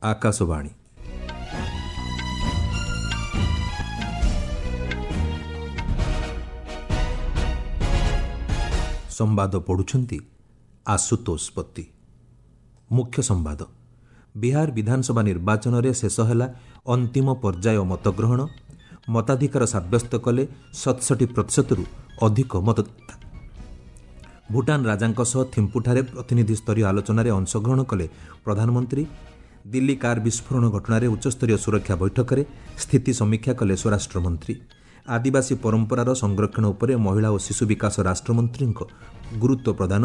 ଆକାଶବାଣୀ। ସମ୍ବାଦ ପଢ଼ୁଛନ୍ତି ଆଶୁତୋଷ ପତି। ମୁଖ୍ୟ ସମ୍ବାଦ। ବିହାର ବିଧାନସଭା ନିର୍ବାଚନରେ ଶେଷ ହେଲା ଅନ୍ତିମ ପର୍ଯ୍ୟାୟ ମତଗ୍ରହଣ। ମତାଧିକାର ସାବ୍ୟସ୍ତ କଲେ 67 ପ୍ରତିଶତରୁ ଅଧିକ ମତଦାତା। ଭୁଟାନ ରାଜାଙ୍କ ସହ ଥିମ୍ପୁଠାରେ ପ୍ରତିନିଧି ସ୍ତରୀୟ ଆଲୋଚନାରେ ଅଂଶଗ୍ରହଣ କଲେ ପ୍ରଧାନମନ୍ତ୍ରୀ। ଦିଲ୍ଲୀ କାର୍ ବିସ୍ଫୋରଣ ଘଟଣାରେ ଉଚ୍ଚସ୍ତରୀୟ ସୁରକ୍ଷା ବୈଠକରେ ସ୍ଥିତି ସମୀକ୍ଷା କଲେ ସ୍ୱରାଷ୍ଟ୍ରମନ୍ତ୍ରୀ। ଆଦିବାସୀ ପରମ୍ପରାର ସଂରକ୍ଷଣ ଉପରେ ମହିଳା ଓ ଶିଶୁ ବିକାଶ ରାଷ୍ଟ୍ରମନ୍ତ୍ରୀଙ୍କ ଗୁରୁତ୍ୱ ପ୍ରଦାନ।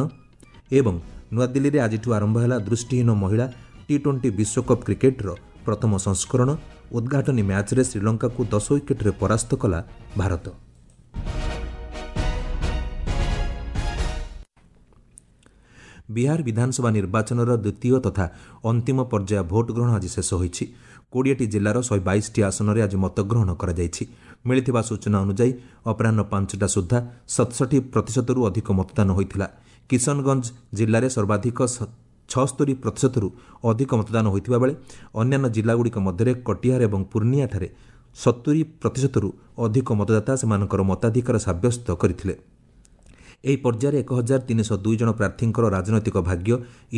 ଏବଂ ନୂଆଦିଲ୍ଲୀରେ ଆଜିଠୁ ଆରମ୍ଭ ହେଲା ଦୃଷ୍ଟିହୀନ ମହିଳା ଟି-20 ବିଶ୍ୱକପ୍ କ୍ରିକେଟ୍ର ପ୍ରଥମ ସଂସ୍କରଣ। ଉଦ୍ଘାଟନୀ ମ୍ୟାଚ୍ରେ ଶ୍ରୀଲଙ୍କାକୁ 10 ୱିକେଟ୍ରେ ପରାସ୍ତ କଲା ଭାରତ। ବିହାର ବିଧାନସଭା ନିର୍ବାଚନର ଦ୍ୱିତୀୟ ତଥା ଅନ୍ତିମ ପର୍ଯ୍ୟାୟ ଭୋଟ୍ ଗ୍ରହଣ ଆଜି ଶେଷ ହୋଇଛି। 20ଟି ଜିଲ୍ଲାର 122ଟି ଆସନରେ ଆଜି ମତଗ୍ରହଣ କରାଯାଇଛି। ମିଳିଥିବା ସୂଚନା ଅନୁଯାୟୀ ଅପରାହ୍ନ 5ଟା ସୁଦ୍ଧା 67 ପ୍ରତିଶତରୁ ଅଧିକ ମତଦାନ ହୋଇଥିଲା। କିଶନଗଞ୍ଜ ଜିଲ୍ଲାରେ ସର୍ବାଧିକ 76 ପ୍ରତିଶତରୁ ଅଧିକ ମତଦାନ ହୋଇଥିବା ବେଳେ ଅନ୍ୟାନ୍ୟ ଜିଲ୍ଲାଗୁଡ଼ିକ ମଧ୍ୟରେ କଟିହାର ଏବଂ ପୂର୍ଣ୍ଣିଆଠାରେ 70 ପ୍ରତିଶତରୁ ଅଧିକ ମତଦାତା ସେମାନଙ୍କର ମତାଧିକାର ସାବ୍ୟସ୍ତ କରିଥିଲେ। ଏହି ପର୍ଯ୍ୟାୟରେ 1302 ଜଣ ପ୍ରାର୍ଥୀଙ୍କର ରାଜନୈତିକ ଭାଗ୍ୟ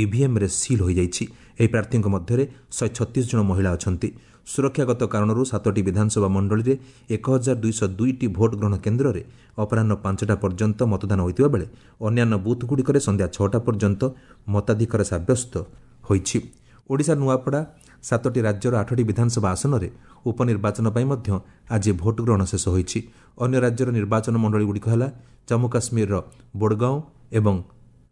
ଇଭିଏମ୍ରେ ସିଲ୍ ହୋଇଯାଇଛି। ଏହି ପ୍ରାର୍ଥୀଙ୍କ ମଧ୍ୟରେ 136 ଜଣ ମହିଳା ଅଛନ୍ତି। ସୁରକ୍ଷାଗତ କାରଣରୁ 7ଟି ବିଧାନସଭା ମଣ୍ଡଳୀରେ 1202ଟି ଭୋଟ୍ ଗ୍ରହଣ କେନ୍ଦ୍ରରେ ଅପରାହ୍ନ 5ଟା ପର୍ଯ୍ୟନ୍ତ ମତଦାନ ହୋଇଥିବା ବେଳେ ଅନ୍ୟାନ୍ୟ ବୁଥ୍ଗୁଡ଼ିକରେ ସନ୍ଧ୍ୟା 6ଟା ପର୍ଯ୍ୟନ୍ତ ମତାଧିକାର ସାବ୍ୟସ୍ତ ହୋଇଛି। ଓଡ଼ିଶା ନୂଆପଡ଼ା 7ଟି ରାଜ୍ୟର 8ଟି ବିଧାନସଭା ଆସନରେ ଉପନିର୍ବାଚନ ପାଇଁ ମଧ୍ୟ ଆଜି ଭୋଟ୍ ଗ୍ରହଣ ଶେଷ ହୋଇଛି। ଅନ୍ୟ ରାଜ୍ୟର ନିର୍ବାଚନ ମଣ୍ଡଳୀଗୁଡ଼ିକ ହେଲା ଜମ୍ମୁ କାଶ୍ମୀରର ବୋଡଗାଓଁ ଏବଂ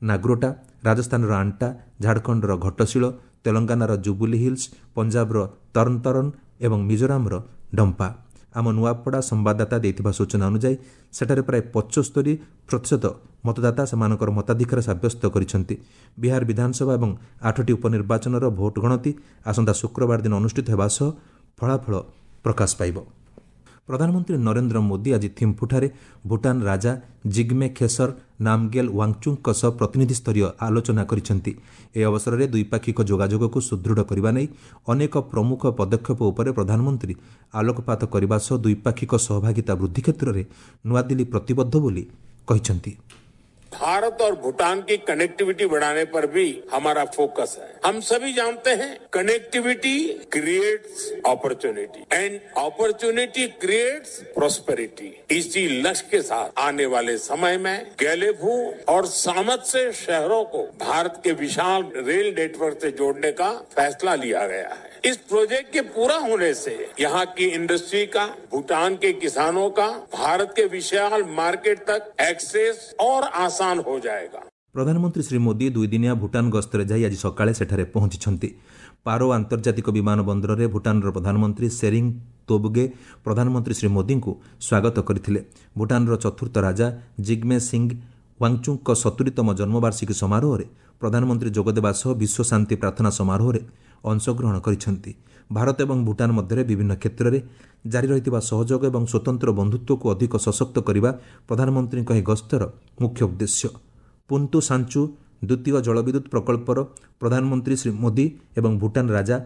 ନାଗ୍ରୋଟା, ରାଜସ୍ଥାନର ଆଣ୍ଟା, ଝାଡ଼ଖଣ୍ଡର ଘଟଶୀଳ, ତେଲଙ୍ଗାନାର ଜୁବୁଲି ହିଲ୍ସ, ପଞ୍ଜାବର ତରନତରନ ଏବଂ ମିଜୋରାମର ଡମ୍ପା। ଆମ ନୂଆପଡ଼ା ସମ୍ବାଦଦାତା ଦେଇଥିବା ସୂଚନା ଅନୁଯାୟୀ ସେଠାରେ ପ୍ରାୟ 75% ମତଦାତା ସେମାନଙ୍କର ମତାଧିକାର ସାବ୍ୟସ୍ତ କରିଛନ୍ତି। ବିହାର ବିଧାନସଭା ଏବଂ 8ଟି ଉପନିର୍ବାଚନର ଭୋଟ୍ ଗଣତି ଆସନ୍ତା ଶୁକ୍ରବାର ଦିନ ଅନୁଷ୍ଠିତ ହେବା ସହ ଫଳାଫଳ ପ୍ରକାଶ ପାଇବ। ପ୍ରଧାନମନ୍ତ୍ରୀ ନରେନ୍ଦ୍ର ମୋଦି ଆଜି ଥିମ୍ପୁଠାରେ ଭୁଟାନ ରାଜା ଜିଗ୍ମେ ଖେସର ନାମଗେଲ ୱାଙ୍ଗଚୁକ୍ଙ୍କ ସହ ପ୍ରତିନିଧି ସ୍ତରୀୟ ଆଲୋଚନା କରିଛନ୍ତି। ଏହି ଅବସରରେ ଦ୍ୱିପାକ୍ଷିକ ଯୋଗାଯୋଗକୁ ସୁଦୃଢ଼ କରିବା ନେଇ ଅନେକ ପ୍ରମୁଖ ପଦକ୍ଷେପ ଉପରେ ପ୍ରଧାନମନ୍ତ୍ରୀ ଆଲୋକପାତ କରିବା ସହ ଦ୍ୱିପାକ୍ଷିକ ସହଭାଗିତା ବୃଦ୍ଧି କ୍ଷେତ୍ରରେ ନୂଆଦିଲ୍ଲୀ ପ୍ରତିବଦ୍ଧ ବୋଲି କହିଛନ୍ତି। भारत और भूटान की कनेक्टिविटी बढ़ाने पर भी हमारा फोकस है। हम सभी जानते हैं connectivity creates opportunity and opportunity creates prosperity. इसी लक्ष्य के साथ आने वाले समय में गैलेफू और सामत से शहरों को भारत के विशाल रेल नेटवर्क से जोड़ने का फैसला लिया गया है। इस प्रोजेक्ट के पूरा होने से यहाँ की इंडस्ट्री का, भूटान के किसानों का भारत के विशाल मार्केट तक एक्सेस और आसान हो जाएगा। ପ୍ରଧାନମନ୍ତ୍ରୀ ଶ୍ରୀ ମୋଦି ଦୁଇଦିନିଆ ଭୁଟାନ ଗସ୍ତରେ ଯାଇ ଆଜି ସକାଳେ ସେଠାରେ ପହଞ୍ଚିଛନ୍ତି। ପାରୋ ଆନ୍ତର୍ଜାତିକ ବିମାନ ବନ୍ଦରରେ ଭୁଟାନର ପ୍ରଧାନମନ୍ତ୍ରୀ ସେରିଂ ତୋବଗେ ପ୍ରଧାନମନ୍ତ୍ରୀ ଶ୍ରୀ ମୋଦିଙ୍କୁ ସ୍ୱାଗତ କରିଥିଲେ। ଭୁଟାନର ଚତୁର୍ଥ ରାଜା ଜିଗ୍ମେ ସିଂ ୱାଙ୍ଗଚୁକ୍ଙ୍କ 70ତମ ଜନ୍ମବାର୍ଷିକୀ ସମାରୋହରେ ପ୍ରଧାନମନ୍ତ୍ରୀ ଯୋଗଦେବା ସହ ବିଶ୍ୱ ଶାନ୍ତି ପ୍ରାର୍ଥନା ସମାରୋହରେ ଅଂଶଗ୍ରହଣ କରିଛନ୍ତି। ଭାରତ ଏବଂ ଭୁଟାନ ମଧ୍ୟରେ ବିଭିନ୍ନ କ୍ଷେତ୍ରରେ ଜାରି ରହିଥିବା ସହଯୋଗ ଏବଂ ସ୍ୱତନ୍ତ୍ର ବନ୍ଧୁତ୍ୱକୁ ଅଧିକ ସଶକ୍ତ କରିବା ପ୍ରଧାନମନ୍ତ୍ରୀଙ୍କ ଏହି ଗସ୍ତର ମୁଖ୍ୟ ଉଦ୍ଦେଶ୍ୟ। ପୁନ୍ତୁ ସାଞ୍ଚୁ ଦ୍ୱିତୀୟ ଜଳବିଦ୍ୟୁତ୍ ପ୍ରକଳ୍ପର ପ୍ରଧାନମନ୍ତ୍ରୀ ଶ୍ରୀ ମୋଦି ଏବଂ ଭୁଟାନ ରାଜା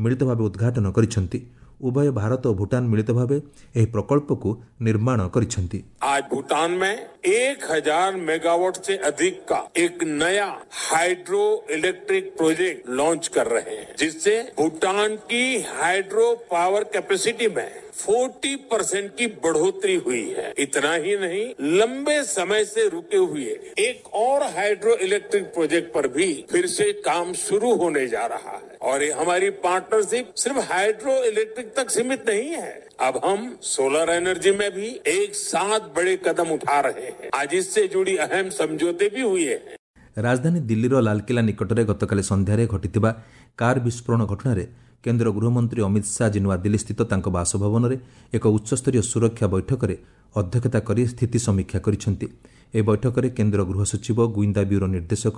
ମିଳିତ ଭାବେ ଉଦ୍ଘାଟନ କରିଛନ୍ତି। ଉଭୟ ଭାରତ ଓ ଭୁଟାନ ମିଳିତ ଭାବେ ଏହି ପ୍ରକଳ୍ପକୁ ନିର୍ମାଣ କରିଛନ୍ତି। आज भूटान में 1000 मेगावाट से अधिक का एक नया हाइड्रो इलेक्ट्रिक प्रोजेक्ट लॉन्च कर रहे हैं, जिससे भूटान की हाइड्रो पावर कैपेसिटी में 40% की बढ़ोतरी हुई है। इतना ही नहीं, लंबे समय से रुके हुए एक और हाइड्रो इलेक्ट्रिक प्रोजेक्ट पर भी फिर से काम शुरू होने जा रहा है। और ये हमारी पार्टनरशिप सिर्फ हाइड्रो इलेक्ट्रिक तक सीमित नहीं है। अब हम सोलर एनर्जी में भी एक साथ बड़े कदम उठा रहे हैं। आज इससे जुड़ी अहम समझौते भी हुए हैं। ରାଜଧାନୀ ଦିଲ୍ଲୀର ଲାଲକିଲ୍ଲା ନିକଟରେ ଗତକାଲି ସନ୍ଧ୍ୟାରେ ଘଟିଥିବା କାର୍ ବିସ୍ଫୋରଣ ଘଟଣାରେ କେନ୍ଦ୍ର ଗୃହମନ୍ତ୍ରୀ ଅମିତ ଶାହା ଆଜି ନୂଆଦିଲ୍ଲୀସ୍ଥିତ ତାଙ୍କ ବାସଭବନରେ ଏକ ଉଚ୍ଚସ୍ତରୀୟ ସୁରକ୍ଷା ବୈଠକରେ ଅଧ୍ୟକ୍ଷତା କରି ସ୍ଥିତି ସମୀକ୍ଷା କରିଛନ୍ତି। ଏହି ବୈଠକରେ କେନ୍ଦ୍ର ଗୃହ ସଚିବ, ଗୁଇନ୍ଦା ବ୍ୟୁରୋ ନିର୍ଦ୍ଦେଶକ,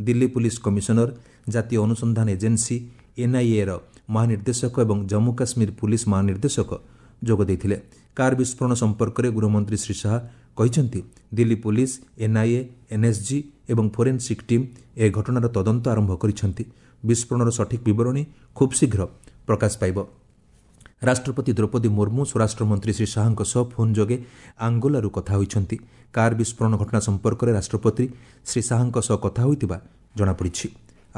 ଦିଲ୍ଲୀ ପୁଲିସ କମିଶନର, ଜାତୀୟ ଅନୁସନ୍ଧାନ ଏଜେନ୍ସି ଏନ୍ଆଇଏର ମହାନିର୍ଦ୍ଦେଶକ ଏବଂ ଜମ୍ମୁ କାଶ୍ମୀର ପୁଲିସ ମହାନିର୍ଦ୍ଦେଶକ ଯୋଗ ଦେଇଥିଲେ। କାର୍ ବିସ୍ଫୋରଣ ସମ୍ପର୍କରେ ଗୃହମନ୍ତ୍ରୀ ଶ୍ରୀ ଶାହା କହିଛନ୍ତି, ଦିଲ୍ଲୀ ପୁଲିସ, ଏନ୍ଆଇଏ, ଏନ୍ଏସ୍ଜି ଏବଂ ଫୋରେନ୍ସିକ୍ ଟିମ୍ ଏହି ଘଟଣାର ତଦନ୍ତ ଆରମ୍ଭ କରିଛନ୍ତି। ବିସ୍ଫୋରଣର ସଠିକ୍ ବିବରଣୀ ଖୁବ୍ ଶୀଘ୍ର ପ୍ରକାଶ ପାଇବ। ରାଷ୍ଟ୍ରପତି ଦ୍ରୌପଦୀ ମୁର୍ମୁ ସ୍ୱରାଷ୍ଟ୍ରମନ୍ତ୍ରୀ ଶ୍ରୀ ଶାହାଙ୍କ ସହ ଫୋନ୍ ଯୋଗେ ଆଙ୍ଗୋଲାରୁ କଥା ହୋଇଛନ୍ତି। କାର୍ ବିସ୍ଫୋରଣ ଘଟଣା ସମ୍ପର୍କରେ ରାଷ୍ଟ୍ରପତି ଶ୍ରୀ ଶାହାଙ୍କ ସହ କଥା ହୋଇଥିବା ଜଣାପଡ଼ିଛି।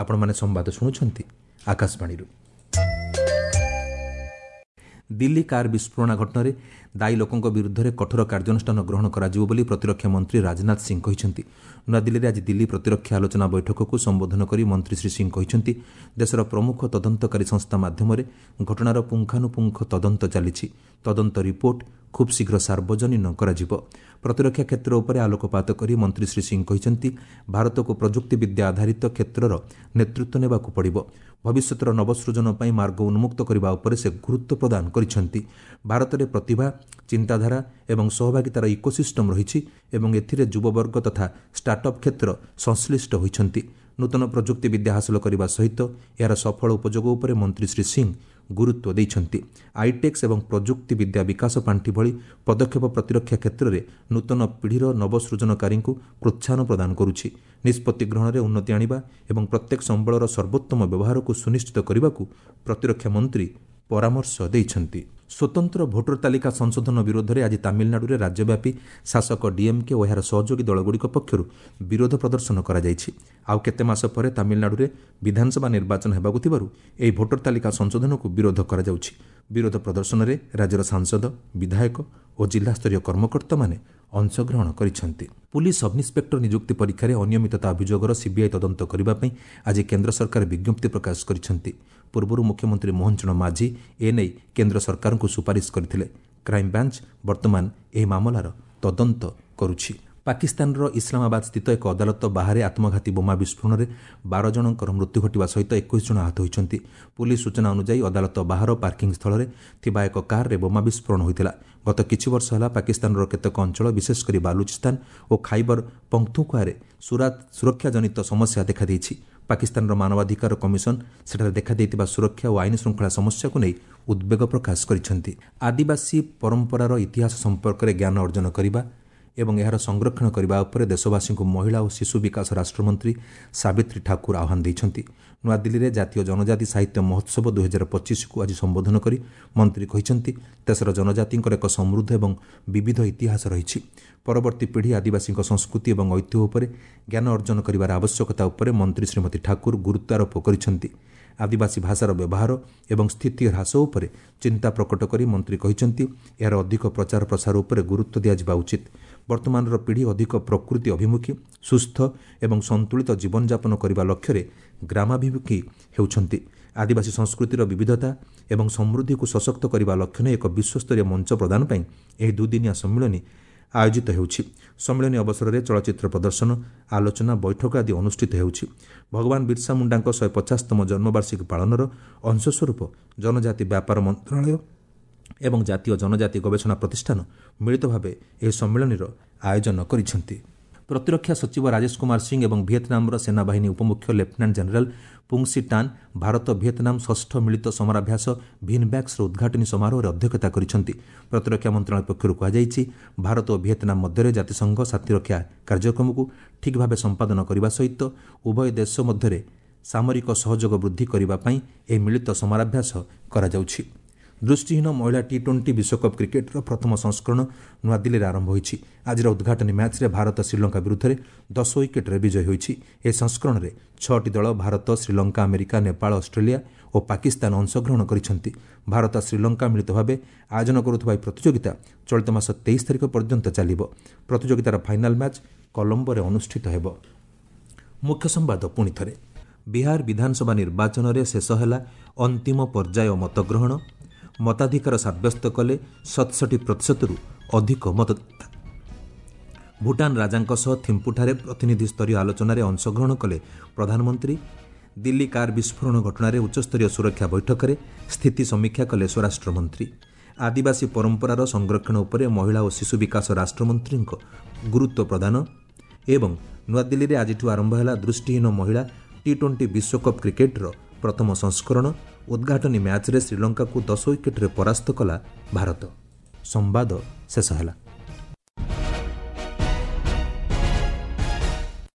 ଆପଣମାନେ ସମ୍ବାଦ ଶୁଣୁଛନ୍ତି ଆକାଶବାଣୀରୁ। ଦିଲ୍ଲୀ କାର୍ ବିସ୍ଫୋରଣ ଘଟଣାରେ ଦାୟୀ ଲୋକଙ୍କ ବିରୁଦ୍ଧରେ କଠୋର କାର୍ଯ୍ୟାନୁଷ୍ଠାନ ଗ୍ରହଣ କରାଯିବ ବୋଲି ପ୍ରତିରକ୍ଷା ମନ୍ତ୍ରୀ ରାଜନାଥ ସିଂ କହିଛନ୍ତି। ନୂଆଦିଲ୍ଲୀରେ ଆଜି ଦିଲ୍ଲୀ ପ୍ରତିରକ୍ଷା ଆଲୋଚନା ବୈଠକକୁ ସମ୍ବୋଧନ କରି ମନ୍ତ୍ରୀ ଶ୍ରୀ ସିଂ କହିଛନ୍ତି, ଦେଶର ପ୍ରମୁଖ ତଦନ୍ତକାରୀ ସଂସ୍ଥା ମାଧ୍ୟମରେ ଘଟଣାର ପୁଙ୍ଖାନୁପୁଙ୍ଖ ତଦନ୍ତ ଚାଲିଛି। ତଦନ୍ତ ରିପୋର୍ଟ ଖୁବ୍ ଶୀଘ୍ର ସାର୍ବଜନୀନ କରାଯିବ। ପ୍ରତିରକ୍ଷା କ୍ଷେତ୍ର ଉପରେ ଆଲୋକପାତ କରି ମନ୍ତ୍ରୀ ଶ୍ରୀ ସିଂ କହିଛନ୍ତି, ଭାରତକୁ ପ୍ରଯୁକ୍ତିବିଦ୍ୟା ଆଧାରିତ କ୍ଷେତ୍ରର ନେତୃତ୍ୱ ନେବାକୁ ପଡ଼ିବ। ଭବିଷ୍ୟତର ନବସୃଜନ ପାଇଁ ମାର୍ଗ ଉନ୍ମୁକ୍ତ କରିବା ଉପରେ ସେ ଗୁରୁତ୍ୱ ପ୍ରଦାନ କରିଛନ୍ତି। ଭାରତରେ ପ୍ରତିଭା, ଚିନ୍ତାଧାରା ଏବଂ ସହଭାଗିତାର ଇକୋସିଷ୍ଟମ୍ ରହିଛି ଏବଂ ଏଥିରେ ଯୁବବର୍ଗ ତଥା ଷ୍ଟାର୍ଟଅପ୍ କ୍ଷେତ୍ର ସଂଶ୍ଳିଷ୍ଟ ହୋଇଛନ୍ତି। ନୂତନ ପ୍ରଯୁକ୍ତିବିଦ୍ୟା ହାସଲ କରିବା ସହିତ ଏହାର ସଫଳ ଉପଯୋଗ ଉପରେ ମନ୍ତ୍ରୀ ଶ୍ରୀ ସିଂ ଗୁରୁତ୍ୱ ଦେଇଛନ୍ତି। ଆଇଟେକ୍ସ ଏବଂ ପ୍ରଯୁକ୍ତିବିଦ୍ୟା ବିକାଶ ପାଣ୍ଠି ଭଳି ପଦକ୍ଷେପ ପ୍ରତିରକ୍ଷା କ୍ଷେତ୍ରରେ ନୂତନ ପିଢ଼ିର ନବସୃଜନକାରୀଙ୍କୁ ପ୍ରୋତ୍ସାହନ ପ୍ରଦାନ କରୁଛି। ନିଷ୍ପତ୍ତି ଗ୍ରହଣରେ ଉନ୍ନତି ଆଣିବା ଏବଂ ପ୍ରତ୍ୟେକ ସମ୍ବଳର ସର୍ବୋତ୍ତମ ବ୍ୟବହାରକୁ ସୁନିଶ୍ଚିତ କରିବାକୁ ପ୍ରତିରକ୍ଷା ମନ୍ତ୍ରୀ ପରାମର୍ଶ ଦେଇଛନ୍ତି। ସ୍ୱତନ୍ତ୍ର ଭୋଟର ତାଲିକା ସଂଶୋଧନ ବିରୋଧରେ ଆଜି ତାମିଲନାଡୁରେ ରାଜ୍ୟବ୍ୟାପୀ ଶାସକ ଡିଏମ୍କେ ଓ ଏହାର ସହଯୋଗୀ ଦଳଗୁଡ଼ିକ ପକ୍ଷରୁ ବିରୋଧ ପ୍ରଦର୍ଶନ କରାଯାଇଛି। ଆଉ କେତେ ମାସ ପରେ ତାମିଲନାଡୁରେ ବିଧାନସଭା ନିର୍ବାଚନ ହେବାକୁ ଥିବାରୁ ଏହି ଭୋଟର ତାଲିକା ସଂଶୋଧନକୁ ବିରୋଧ କରାଯାଉଛି। ବିରୋଧ ପ୍ରଦର୍ଶନରେ ରାଜ୍ୟର ସାଂସଦ, ବିଧାୟକ ଓ ଜିଲ୍ଲାସ୍ତରୀୟ କର୍ମକର୍ତ୍ତାମାନେ ଅଂଶଗ୍ରହଣ କରିଛନ୍ତି। ପୁଲିସ୍ ସବ୍ଇନ୍ସପେକ୍ଟର ନିଯୁକ୍ତି ପରୀକ୍ଷାରେ ଅନିୟମିତତା ଅଭିଯୋଗର ସିବିଆଇ ତଦନ୍ତ କରିବା ପାଇଁ ଆଜି କେନ୍ଦ୍ର ସରକାର ବିଜ୍ଞପ୍ତି ପ୍ରକାଶ କରିଛନ୍ତି। ପୂର୍ବରୁ ମୁଖ୍ୟମନ୍ତ୍ରୀ ମୋହନ ଚରଣ ମାଝୀ ଏନେଇ କେନ୍ଦ୍ର ସରକାରଙ୍କୁ ସୁପାରିଶ କରିଥିଲେ। କ୍ରାଇମବ୍ରାଞ୍ଚ ବର୍ତ୍ତମାନ ଏହି ମାମଲାର ତଦନ୍ତ କରୁଛି। ପାକିସ୍ତାନର ଇସଲାମାବାଦ ସ୍ଥିତ ଏକ ଅଦାଲତ ବାହାରେ ଆତ୍ମଘାତୀ ବୋମା ବିସ୍ଫୋରଣରେ 12 ଜଣଙ୍କର ମୃତ୍ୟୁ ଘଟିବା ସହିତ 21 ଜଣ ଆହତ ହୋଇଛନ୍ତି। ପୁଲିସ୍ ସୂଚନା ଅନୁଯାୟୀ ଅଦାଲତ ବାହାର ପାର୍କିଂ ସ୍ଥଳରେ ଥିବା ଏକ କାର୍ରେ ବୋମା ବିସ୍ଫୋରଣ ହୋଇଥିଲା। ଗତ କିଛି ବର୍ଷ ହେଲା ପାକିସ୍ତାନର କେତେକ ଅଞ୍ଚଳ, ବିଶେଷ କରି ବାଲୁଚିସ୍ତାନ ଓ ଖାଇବର ପଖ୍ତୁନ୍ଖ୍ୱାରେ ସୁରକ୍ଷାଜନିତ ସମସ୍ୟା ଦେଖାଦେଇଛି। ପାକିସ୍ତାନର ମାନବାଧିକାର କମିଶନ ସେଠାରେ ଦେଖାଦେଇଥିବା ସୁରକ୍ଷା ଓ ଆଇନ ଶୃଙ୍ଖଳା ସମସ୍ୟାକୁ ନେଇ ଉଦ୍ବେଗ ପ୍ରକାଶ କରିଛନ୍ତି। ଆଦିବାସୀ ପରମ୍ପରାର ଇତିହାସ ସମ୍ପର୍କରେ ଜ୍ଞାନ ଅର୍ଜନ କରିବା ଏବଂ ଏହାର ସଂରକ୍ଷଣ କରିବା ଉପରେ ଦେଶବାସୀଙ୍କୁ ମହିଳା ଓ ଶିଶୁ ବିକାଶ ରାଷ୍ଟ୍ରମନ୍ତ୍ରୀ ସାବିତ୍ରୀ ଠାକୁର ଆହ୍ୱାନ ଦେଇଛନ୍ତି। ନୂଆଦିଲ୍ଲୀରେ ଜାତୀୟ ଜନଜାତି ସାହିତ୍ୟ ମହୋତ୍ସବ 2025କୁ ଆଜି ସମ୍ବୋଧନ କରି ମନ୍ତ୍ରୀ କହିଛନ୍ତି, ଦେଶର ଜନଜାତିଙ୍କର ଏକ ସମୃଦ୍ଧ ଏବଂ ବିବିଧ ଇତିହାସ ରହିଛି। ପରବର୍ତ୍ତୀ ପିଢ଼ି ଆଦିବାସୀଙ୍କ ସଂସ୍କୃତି ଏବଂ ଐତିହ୍ୟ ଉପରେ ଜ୍ଞାନ ଅର୍ଜନ କରିବାର ଆବଶ୍ୟକତା ଉପରେ ମନ୍ତ୍ରୀ ଶ୍ରୀମତୀ ଠାକୁର ଗୁରୁତ୍ୱାରୋପ କରିଛନ୍ତି। ଆଦିବାସୀ ଭାଷାର ବ୍ୟବହାର ଏବଂ ସ୍ଥିତି ହ୍ରାସ ଉପରେ ଚିନ୍ତା ପ୍ରକଟ କରି ମନ୍ତ୍ରୀ କହିଛନ୍ତି, ଏହାର ଅଧିକ ପ୍ରଚାର ପ୍ରସାର ଉପରେ ଗୁରୁତ୍ୱ ଦିଆଯିବା ଉଚିତ। ବର୍ତ୍ତମାନର ପିଢ଼ି ଅଧିକ ପ୍ରକୃତି ଅଭିମୁଖୀ, ସୁସ୍ଥ ଏବଂ ସନ୍ତୁଳିତ ଜୀବନଯାପନ କରିବା ଲକ୍ଷ୍ୟରେ ଗ୍ରାମାଭିମୁଖୀ ହେଉଛନ୍ତି। ଆଦିବାସୀ ସଂସ୍କୃତିର ବିବିଧତା ଏବଂ ସମୃଦ୍ଧିକୁ ସଶକ୍ତ କରିବା ଲକ୍ଷ୍ୟ ନେଇ ଏକ ବିଶ୍ୱସ୍ତରୀୟ ମଞ୍ଚ ପ୍ରଦାନ ପାଇଁ ଏହି ଦୁଇଦିନିଆ ସମ୍ମିଳନୀ ଆୟୋଜିତ ହେଉଛି। ସମ୍ମିଳନୀ ଅବସରରେ ଚଳଚ୍ଚିତ୍ର ପ୍ରଦର୍ଶନ, ଆଲୋଚନା, ବୈଠକ ଆଦି ଅନୁଷ୍ଠିତ ହେଉଛି। ଭଗବାନ ବିର୍ସା ମୁଣ୍ଡାଙ୍କ 150ତମ ଜନ୍ମବାର୍ଷିକୀ ପାଳନର ଅଂଶସ୍ୱରୂପ ଜନଜାତି ବ୍ୟାପାର ମନ୍ତ୍ରଣାଳୟ ଏବଂ ଜାତୀୟ ଜନଜାତି ଗବେଷଣା ପ୍ରତିଷ୍ଠାନ ମିଳିତ ଭାବେ ଏହି ସମ୍ମିଳନୀର ଆୟୋଜନ କରିଛନ୍ତି। ପ୍ରତିରକ୍ଷା ସଚିବ ରାଜେଶ କୁମାର ସିଂ ଏବଂ ଭିଏତନାମର ସେନାବାହିନୀ ଉପମୁଖ୍ୟ ଲେଫ୍ଟନାଣ୍ଟ ଜେନେରାଲ ପୁଙ୍ଗସି ଟାନ୍ ଭାରତ ଭିଏତନାମ ଷଷ୍ଠ ମିଳିତ ସମରାଭ୍ୟାସ ଭିନ୍ବ୍ୟାକ୍ସର ଉଦ୍ଘାଟନୀ ସମାରୋହରେ ଅଧ୍ୟକ୍ଷତା କରିଛନ୍ତି। ପ୍ରତିରକ୍ଷା ମନ୍ତ୍ରଣାଳୟ ପକ୍ଷରୁ କୁହାଯାଇଛି, ଭାରତ ଓ ଭିଏତନାମ ମଧ୍ୟରେ ଜାତିସଂଘ ଶାନ୍ତିରକ୍ଷା କାର୍ଯ୍ୟକ୍ରମକୁ ଠିକ୍ ଭାବେ ସମ୍ପାଦନ କରିବା ସହିତ ଉଭୟ ଦେଶ ମଧ୍ୟରେ ସାମରିକ ସହଯୋଗ ବୃଦ୍ଧି କରିବା ପାଇଁ ଏହି ମିଳିତ ସମରାଭ୍ୟାସ କରାଯାଉଛି। ଦୃଷ୍ଟିହୀନ ମହିଳା ଟି-20 ବିଶ୍ୱକପ୍ କ୍ରିକେଟ୍ର ପ୍ରଥମ ସଂସ୍କରଣ ନୂଆଦିଲ୍ଲୀରେ ଆରମ୍ଭ ହୋଇଛି। ଆଜିର ଉଦ୍ଘାଟନୀ ମ୍ୟାଚ୍ରେ ଭାରତ ଶ୍ରୀଲଙ୍କା ବିରୁଦ୍ଧରେ 10 ୱିକେଟ୍ରେ ବିଜୟୀ ହୋଇଛି। ଏହି ସଂସ୍କରଣରେ 6ଟି ଦଳ ଭାରତ, ଶ୍ରୀଲଙ୍କା, ଆମେରିକା, ନେପାଳ, ଅଷ୍ଟ୍ରେଲିଆ ଓ ପାକିସ୍ତାନ ଅଂଶଗ୍ରହଣ କରିଛନ୍ତି। ଭାରତ ଶ୍ରୀଲଙ୍କା ମିଳିତ ଭାବେ ଆୟୋଜନ କରୁଥିବା ଏହି ପ୍ରତିଯୋଗିତା ଚଳିତ ମାସ 23 ତାରିଖ ପର୍ଯ୍ୟନ୍ତ ଚାଲିବ। ପ୍ରତିଯୋଗିତାର ଫାଇନାଲ୍ ମ୍ୟାଚ୍ କଲମ୍ବୋରେ ଅନୁଷ୍ଠିତ ହେବ। ମୁଖ୍ୟ ସମ୍ବାଦ ପୁଣି ଥରେ। ବିହାର ବିଧାନସଭା ନିର୍ବାଚନରେ ଶେଷ ହେଲା ଅନ୍ତିମ ପର୍ଯ୍ୟାୟ ମତଗ୍ରହଣ। ମତାଧିକାର ସାବ୍ୟସ୍ତ କଲେ 67%ରୁ ଅଧିକ ମତଦାତା। ଭୁଟାନ ରାଜାଙ୍କ ସହ ଥିମ୍ପୁଠାରେ ପ୍ରତିନିଧି ସ୍ତରୀୟ ଆଲୋଚନାରେ ଅଂଶଗ୍ରହଣ କଲେ ପ୍ରଧାନମନ୍ତ୍ରୀ। ଦିଲ୍ଲୀ କାର୍ ବିସ୍ଫୋରଣ ଘଟଣାରେ ଉଚ୍ଚସ୍ତରୀୟ ସୁରକ୍ଷା ବୈଠକରେ ସ୍ଥିତି ସମୀକ୍ଷା କଲେ ସ୍ୱରାଷ୍ଟ୍ରମନ୍ତ୍ରୀ। ଆଦିବାସୀ ପରମ୍ପରାର ସଂରକ୍ଷଣ ଉପରେ ମହିଳା ଓ ଶିଶୁ ବିକାଶ ରାଷ୍ଟ୍ରମନ୍ତ୍ରୀଙ୍କ ଗୁରୁତ୍ୱ ପ୍ରଦାନ। ଏବଂ ନୂଆଦିଲ୍ଲୀରେ ଆଜିଠୁ ଆରମ୍ଭ ହେଲା ଦୃଷ୍ଟିହୀନ ମହିଳା ଟି-20 ବିଶ୍ୱକପ୍ କ୍ରିକେଟ୍ର ପ୍ରଥମ ସଂସ୍କରଣ। ଉଦ୍ଘାଟନୀ ମ୍ୟାଚ୍ରେ ଶ୍ରୀଲଙ୍କାକୁ 10 ୱିକେଟ୍ରେ ପରାସ୍ତ କଲା ଭାରତ। ସମ୍ବାଦ ଶେଷ ହେଲା।